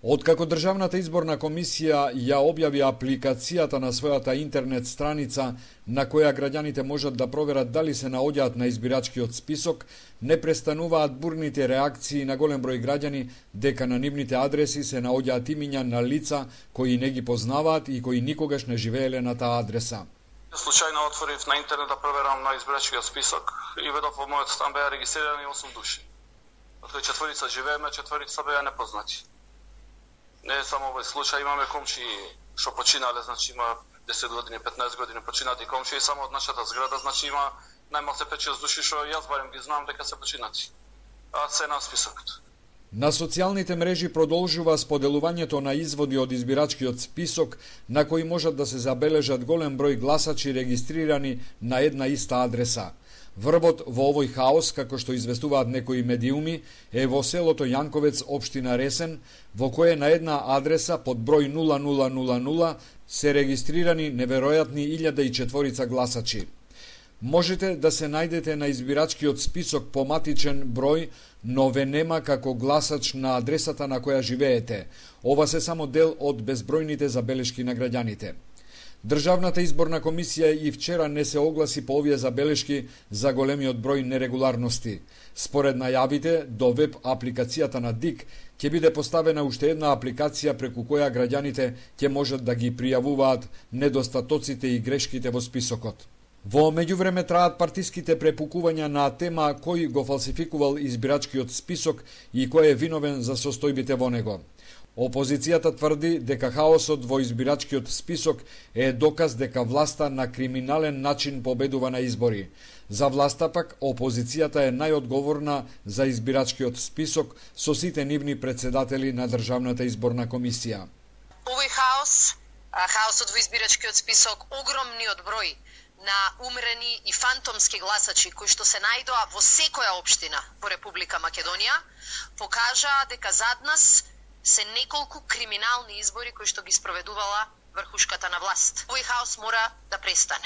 Откако Државната изборна комисија ја објави апликацијата на својата интернет страница на која граѓаните можат да проверат дали се наоѓаат на избирачкиот список, не престануваат бурните реакции на голем број граѓани дека на нивните адреси се наоѓаат имиња на лица кои не ги познаваат и кои никогаш не живееле на таа адреса. Случајно отворив на интернет да проверам на избирачкиот список и видов во мојот стан беа регистрирани 8 души. Од кои 4 живееме, 4 беа непознати. Не е само овој случај, имаме комши што починале, значи има 10 години, 15 години починати комши и само од нашата зграда, значи има најмалку 5-6 души што јас барем ги знам дека се починати. А се на списокот. На социјалните мрежи продолжува споделувањето на изводи од избирачкиот список на кои можат да се забележат голем број гласачи регистрирани на една иста адреса. Врвот во овој хаос, како што известуваат некои медиуми, е во селото Јанковец, општина Ресен, во кое на една адреса под број 0000 се регистрирани неверојатни 1004 гласачи. Можете да се најдете на избирачкиот список по матичен број, но ве нема како гласач на адресата на која живеете. Ова се само дел од безбројните забелешки на граѓаните. Државната изборна комисија и вчера не се огласи по овие забелешки за големиот број нерегуларности. Според најавите, до веб апликацијата на ДИК ќе биде поставена уште една апликација преку која граѓаните ќе можат да ги пријавуваат недостатоците и грешките во списокот. Во меѓувреме траат партиските препукувања на тема кој го фалсификувал избирачкиот список и кој е виновен за состојбите во него. Опозицијата тврди дека хаосот во избирачкиот список е доказ дека власта на криминален начин победува на избори. За власта пак опозицијата е најодговорна за избирачкиот список со сите нивни председатели на Државната изборна комисија. Овој хаосот во избирачкиот список, огромниот број на умрени и фантомски гласачи кои што се најдоа во секоја општина во Република Македонија, покажаа дека зад нас се неколку криминални избори кои што ги спроведувала врхушката на власт. Овој хаос мора да престане.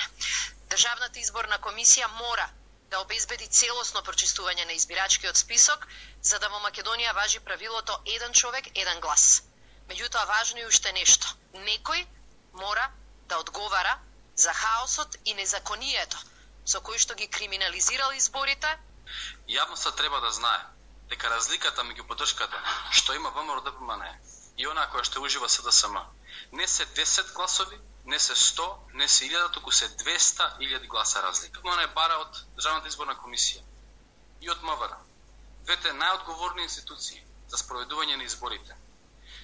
Државната изборна комисија мора да обезбеди целосно прочистување на избирачкиот список, за да во Македонија важи правилото еден човек, еден глас. Меѓутоа важно е уште нешто. Некој мора да одговара за хаосот и незаконието со кои што ги криминализирал изборите. Јавноста треба да знае дека разликата меѓу поддршката што има ВМРО-ДПМН и она која што ужива СДСМ не се 10 гласови, не се 100, не се 1000, туку се 200.000 гласа разлика. Она е бара од Државната изборна комисија и од МВР, двете најодговорни институции за спроведување на изборите,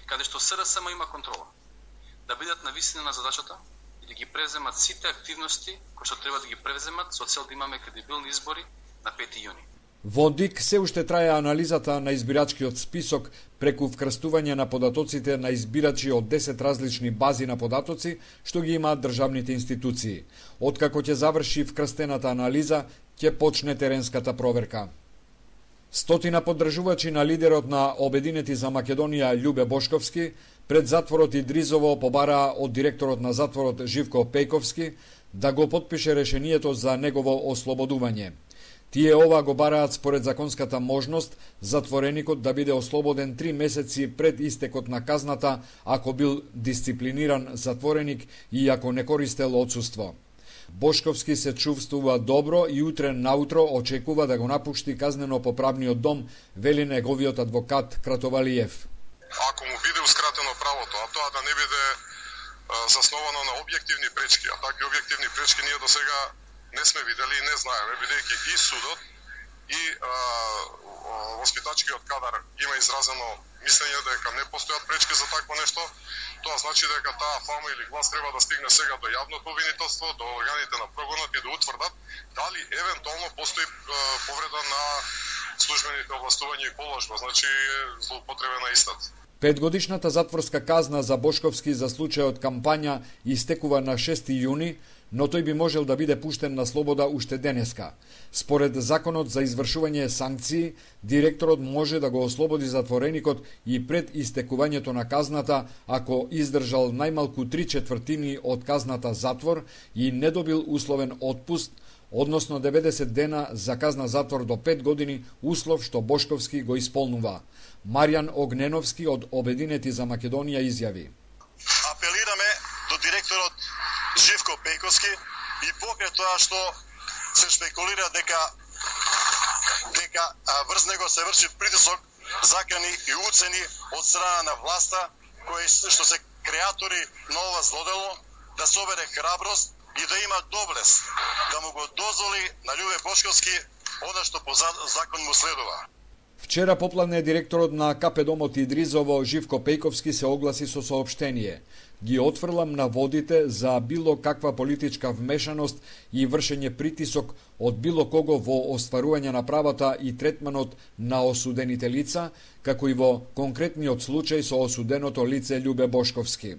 каде што СДСМ има контрола, да бидат на висина на задачата и да ги преземат сите активности кои што треба да ги преземат со цел да имаме кредибилни избори на 5 јуни. Во ДИК се уште трае анализата на избирачкиот список преку вкрстување на податоците на избирачи од 10 различни бази на податоци што ги имаат државните институции. Откако ќе заврши вкрстената анализа, ќе почне теренската проверка. Стотина поддржувачи на лидерот на Обединети за Македонија Љубе Бошковски пред затворот Идризово побараа од директорот на затворот Живко Пејковски да го потпише решението за негово ослободување. Тие ова го бараат според законската можност затвореникот да биде ослободен 3 месеци пред истекот на казната ако бил дисциплиниран затвореник и ако не користел отсуство. Бошковски се чувствува добро и утре наутро очекува да го напушти казнено-поправниот дом, вели неговиот адвокат Кратовалиев. Ако му биде ускратено правото, а тоа да не биде засновано на објективни пречки, а такви објективни пречки ние до сега не сме видели и не знаеме, бидејќи и судот и воспитачкиот кадар има изразено мислење дека не постојат пречки за такво нешто. Тоа значи дека таа фама или глас треба да стигне сега до јавното обвинителство, до органите на прогонот и да утврдат дали евентуално постои повреда на службените овластувања и положба, значи злоупотребена истата. 5-годишната затворска казна за Бошковски за случајот кампања истекува на 6 јуни, но тој би можел да биде пуштен на слобода уште денеска. Според законот за извршување санкции, директорот може да го ослободи затвореникот и пред истекувањето на казната ако издржал најмалку 3/4 од казната затвор и не добил условен отпуст, односно 90 дена за казна затвор до 5 години, услов што Бошковски го исполнува. Маријан Огненовски од Обединети за Македонија изјави: Апелираме до директорот Живко Пејковски и покрај тоа што се шпекулира дека врз него се врши притисок, закани и уцени од страна на власта, кои што се креатори на ова злодело, да собере храброст и да има доблест да му го дозволи на Љубе Бошковски она што по закон му следува. Вчера попладне директорот на КП Домот Идризово Живко Пејковски се огласи со соопштение: ги отфрлам на водите за било каква политичка вмешаност и вршење притисок од било кого во остварување на правата и третманот на осудените лица, како и во конкретниот случај со осуденото лице Љубе Бошковски.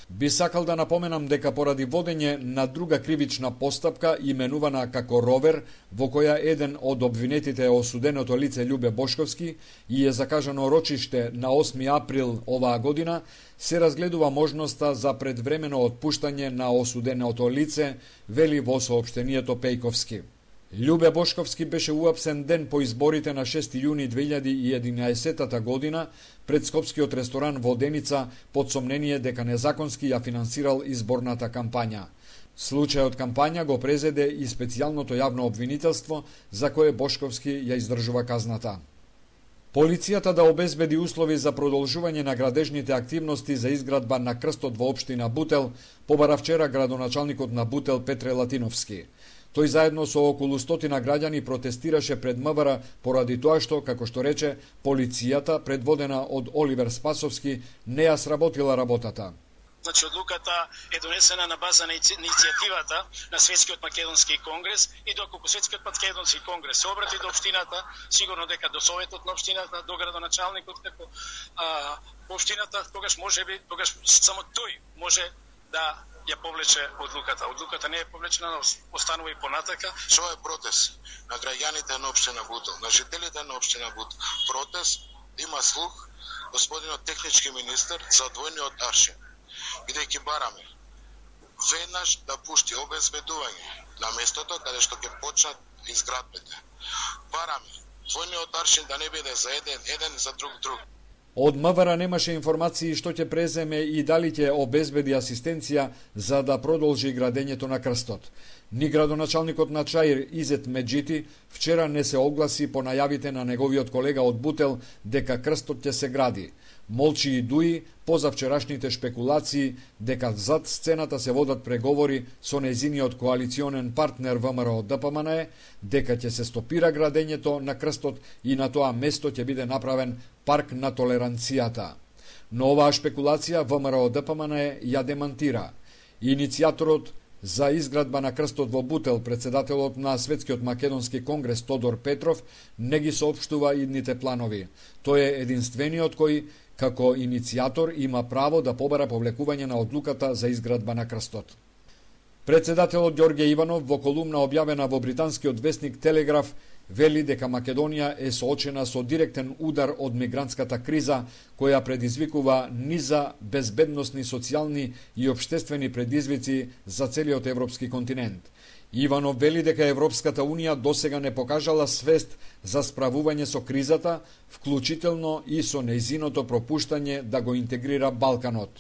Би сакал да напоменам дека поради водење на друга кривична постапка, именувана како Ровер, во која еден од обвинетите е осуденото лице Љубе Бошковски и е закажано рочиште на 8 април оваа година, се разгледува можноста за предвремено отпуштање на осуденото лице, вели во соопштението Пејковски. Љубе Бошковски беше уапсен ден по изборите на 6 јуни 2011 година пред скопскиот ресторан во Деница под сомнение дека незаконски ја финансирал изборната кампања. Случајот кампања го презеде и специјалното јавно обвинителство, за кое Бошковски ја издржува казната. Полицијата да обезбеди услови за продолжување на градежните активности за изградба на крстот во општина Бутел, побара вчера градоначалникот на Бутел Петре Латиновски. Тој заедно со околу 100 граѓани протестираше пред МВР поради тоа што, како што рече, полицијата, предводена од Оливер Спасовски, не ја сработила работата. Значи, одлуката е донесена на база на иницијативата на Светскиот македонски конгрес и доколку Светскиот македонски конгрес се обрати до општината, сигурно дека до советот на општината, до градоначалникот како општината, тогаш само тој може да ја повлече одлуката. Одлуката не е повлечена, но останува и понатака. Што е протест на граѓаните на општина Бутел, на жителите на општина Бутел. Протест има слух господинот технички министер за двојниот аршин. Бидејќи бараме веднаш да пушти обезбедување на местото каде што ќе почнат изградбите. Бараме двојниот аршин да не биде за еден за друг. Од МВР немаше информации што ќе преземе и дали ќе обезбеди асистенција за да продолжи градењето на крстот. Ни градоначалникот на Чаир Изет Меджити вчера не се огласи по најавите на неговиот колега од Бутел дека крстот ќе се гради. Молчи и дуи позавчерашните шпекулации дека зад сцената се водат преговори со нејзиниот коалиционен партнер ВМРО ДПМН, дека ќе се стопира градењето на крстот и на тоа место ќе биде направен парк на толеранцијата. Но оваа шпекулација ВМРО ДПМН ја демантира. Иницијаторот за изградба на крстот во Бутел, председателот на Светскиот македонски конгрес Тодор Петров, не ги соопштува идните планови. Тој е единствениот кој, како иницијатор, има право да побара повлекување на одлуката за изградба на крстот. Председателот Ѓорѓе Иванов во колумна објавена во британскиот весник Телеграф вели дека Македонија е соочена со директен удар од мигрантската криза, која предизвикува низа безбедносни, социјални и општествени предизвици за целиот европски континент. Иванов вели дека Европската Унија досега не покажала свест за справување со кризата, вклучително и со нејзиното пропуштање да го интегрира Балканот.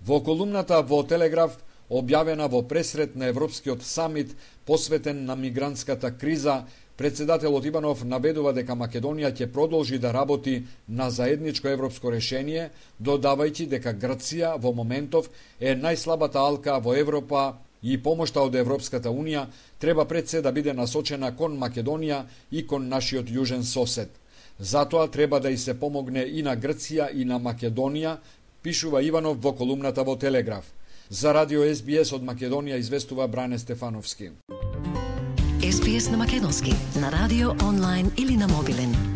Во колумната во Телеграф, објавена во пресрет на Европскиот самит посветен на мигрантската криза, председателот Иванов набедува дека Македонија ќе продолжи да работи на заедничко европско решение, додавајќи дека Грција во моментов е најслабата алка во Европа и помошта од Европската Унија треба пред се да биде насочена кон Македонија и кон нашиот јужен сосед. Затоа треба да и се помогне и на Грција и на Македонија, пишува Иванов во колумната во Телеграф. За радио СБС од Македонија известува Бране Стефановски. СБС на македонски, на радио, онлайн или на мобилен.